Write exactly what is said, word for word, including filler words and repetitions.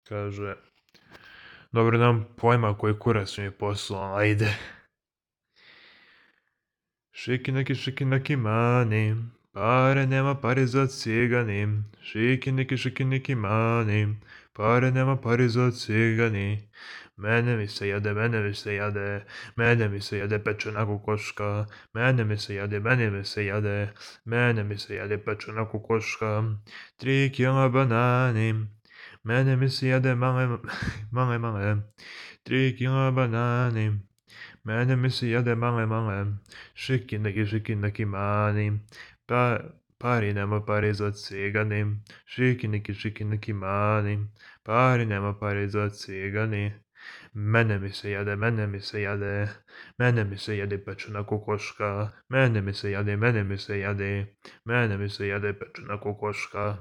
Kaže, dobro, nemam pojma koji kurac mi je poslao, ajde. Šiki neki, šiki neki mani, pare nema, pare za cigani. Šiki neki, šiki neki mani, pare nema, pare za cigani. Mene mi se jade, mene mi se jade, mene mi se jade pečena kokoška. Mene mi se jade, mene mi se jade, mene mi se jade pečena kokoška. Tri kila banani, mene mi se jade male, male, male. Tri kila banani. Mene mi se jade male, male, šiki neki, šiki neki mani, pa, pari nema pari za cigani, šiki neki, šiki neki mani, pari nema pari za cigani. Mene mi se jade, mene mi se jade, mene mi se jade pečena kokoška, mene mi se jade, mene mi se jade, mene mi se jade pečena kokoška.